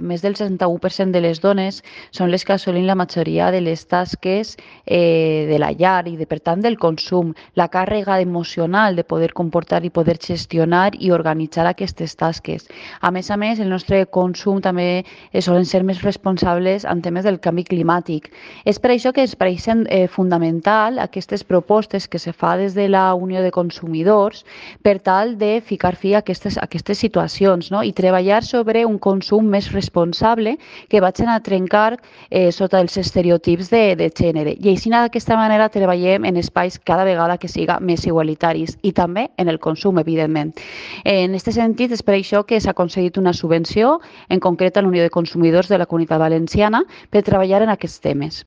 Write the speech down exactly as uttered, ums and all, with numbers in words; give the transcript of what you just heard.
Més del seixanta-u per cent de les dones són les que assolint la majoria de les tasques eh, de la llar i, de, per tant, del consum. La càrrega emocional de poder comportar i poder gestionar i organitzar aquestes tasques. A més a més, el nostre consum també eh, solen ser més responsables en temes del canvi climàtic. És per això que ens pareixen eh, fundamental aquestes propostes que se fa des de la Unió de Consumidors per tal de ficar fi a aquestes, a aquestes situacions, no? I treballar sobre un consum més responsable responsable que vagin a trencar eh, sota els estereotips de, de gènere. I així d'aquesta manera treballem en espais cada vegada que siga més igualitaris i també en el consum, evidentment. En aquest sentit, és per això que s'ha aconseguit una subvenció, en concret a la Unió de Consumidors de la Comunitat Valenciana, per treballar en aquests temes.